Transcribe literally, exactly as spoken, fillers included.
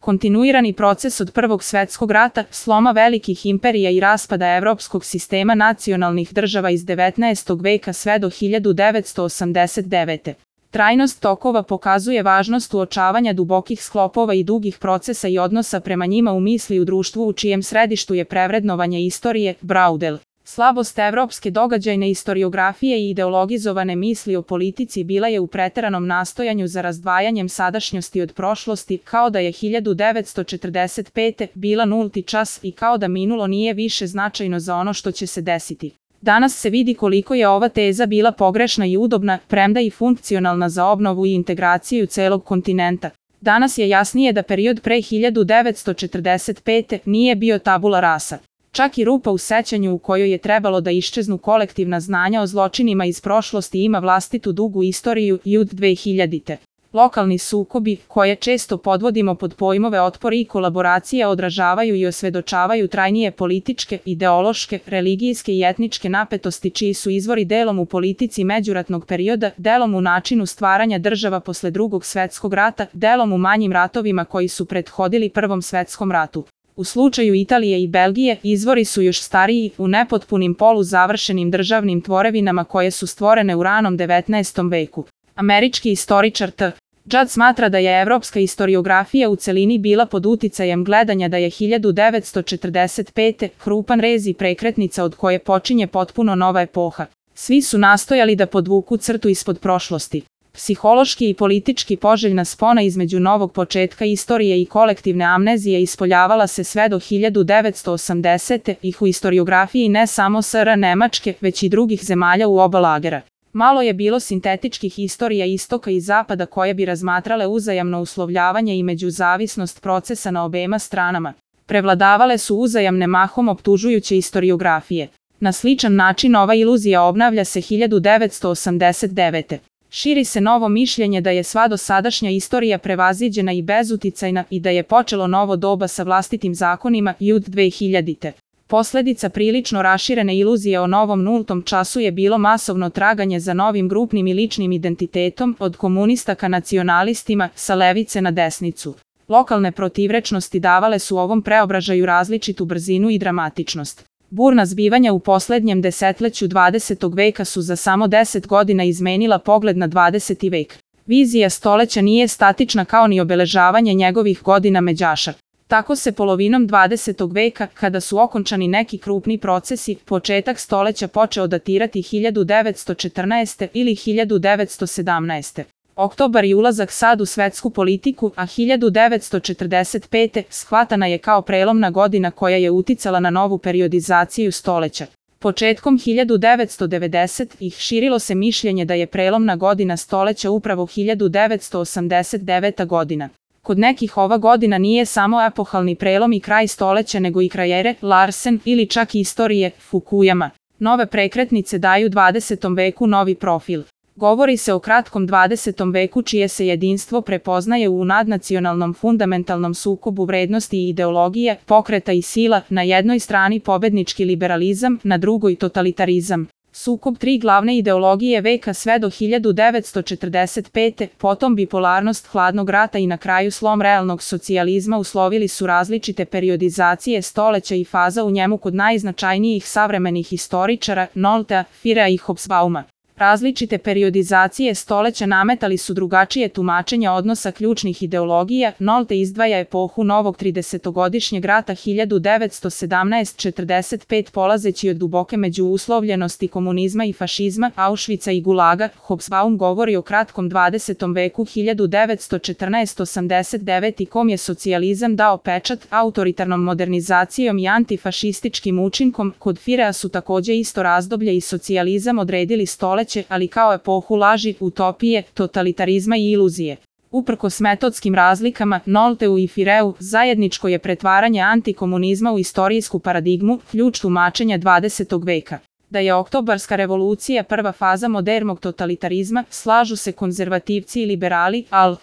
Kontinuirani proces od Prvog svetskog rata, sloma velikih imperija i raspada evropskog sistema nacionalnih država iz devetnaestog veka sve do hiljadu devetsto osamdeset devete. Trajnost tokova pokazuje važnost uočavanja dubokih sklopova i dugih procesa i odnosa prema njima u misli u društvu u čijem središtu je prevrednovanje istorije, Braudel. Slabost evropske događajne istoriografije i ideologizovane misli o politici bila je u preteranom nastojanju za razdvajanjem sadašnjosti od prošlosti, kao da je hiljadu devetsto četrdeset pete. bila nulti čas i kao da minulo nije više značajno za ono što će se desiti. Danas se vidi koliko je ova teza bila pogrešna i udobna, premda i funkcionalna za obnovu i integraciju celog kontinenta. Danas je jasnije da period pre hiljadu devetsto četrdeset pete. nije bio tabula rasa. Čak i rupa u sećanju u kojoj je trebalo da iščeznu kolektivna znanja o zločinima iz prošlosti ima vlastitu dugu istoriju i od dvehiljadite. Lokalni sukobi, koje često podvodimo pod pojmove otpor i kolaboracije, odražavaju i osvedočavaju trajnije političke, ideološke, religijske i etničke napetosti čiji su izvori delom u politici međuratnog perioda, delom u načinu stvaranja država posle Drugog svetskog rata, delom u manjim ratovima koji su prethodili Prvom svetskom ratu. U slučaju Italije i Belgije, izvori su još stariji, u nepotpunim poluzavršenim državnim tvorevinama koje su stvorene u ranom devetnaestom veku. Američki istoričar T. Judd smatra da je evropska istoriografija u celini bila pod uticajem gledanja da je hiljadu devetsto četrdeset pete. krupan rez i prekretnica od koje počinje potpuno nova epoha. Svi su nastojali da podvuku crtu ispod prošlosti. Psihološki i politički poželjna spona između novog početka istorije i kolektivne amnezije ispoljavala se sve do hiljadu devetsto osamdesete. ih u istoriografiji ne samo S R Nemačke, već i drugih zemalja u oba lagera. Malo je bilo sintetičkih istorija istoka i zapada koje bi razmatrale uzajamno uslovljavanje i međuzavisnost procesa na obema stranama. Prevladavale su uzajamne mahom optužujuće istoriografije. Na sličan način ova iluzija obnavlja se hiljadu devetsto osamdeset devete. Širi se novo mišljenje da je sva dosadašnja istorija prevaziđena i bezuticajna i da je počelo novo doba sa vlastitim zakonima i od dvehiljadite. Posledica prilično raširene iluzije o novom nultom času je bilo masovno traganje za novim grupnim i ličnim identitetom, od komunista ka nacionalistima, sa levice na desnicu. Lokalne protivrečnosti davale su ovom preobražaju različitu brzinu i dramatičnost. Burna zbivanja u poslednjem desetleću dvadesetog veka su za samo deset godina izmenila pogled na dvadeseti vek. Vizija stoleća nije statična kao ni obeležavanje njegovih godina međaša. Tako se polovinom dvadesetog veka, kada su okončani neki krupni procesi, početak stoleća počeo datirati hiljadu devetsto četrnaeste. ili hiljadu devetsto sedamnaeste. Oktobar i ulazak sad u svetsku politiku, a hiljadu devetsto četrdeset pete. shvatana je kao prelomna godina koja je uticala na novu periodizaciju stoleća. Početkom hiljadu devetsto devedesetih. širilo se mišljenje da je prelomna godina stoleća upravo hiljadu devetsto osamdeset deveta. godina. Kod nekih ova godina nije samo epohalni prelom i kraj stoleća nego i kraj ere, Larsen ili čak istorije, Fukuyama. Nove prekretnice daju dvadesetom veku novi profil. Govori se o kratkom dvadesetom veku čije se jedinstvo prepoznaje u nadnacionalnom fundamentalnom sukobu vrednosti i ideologije, pokreta i sila, na jednoj strani pobednički liberalizam, na drugoj totalitarizam. Sukob tri glavne ideologije veka sve do hiljadu devetsto četrdeset pete. potom bipolarnost hladnog rata i na kraju slom realnog socijalizma uslovili su različite periodizacije stoleća i faza u njemu kod najznačajnijih savremenih istoričara, Noltea, Firea i Hobsbauma. Različite periodizacije stoleća nametali su drugačije tumačenja odnosa ključnih ideologija. Nolte izdvaja epohu novog tridesetogodišnjeg rata hiljadu devetsto sedamnaest do četrdeset pet polazeći od duboke međuuslovljenosti komunizma i fašizma, Auschwitza i Gulaga. Hobsbaum govori o kratkom dvadesetom veku hiljadu devetsto četrnaest do osamdeset devete. kom je socijalizam dao pečat autoritarnom modernizacijom i antifašističkim učinkom. Kod Firea su takođe isto razdoblje i socijalizam odredili stoleće, ali kao epohu laži, utopije, totalitarizma i iluzije. Uprkos metodskim razlikama, Nolteu i Fireu zajedničko je pretvaranje antikomunizma u istorijsku paradigmu, ključ tumačenja dvadesetog veka. Da je oktobarska revolucija prva faza modernog totalitarizma, slažu se konzervativci i liberali, al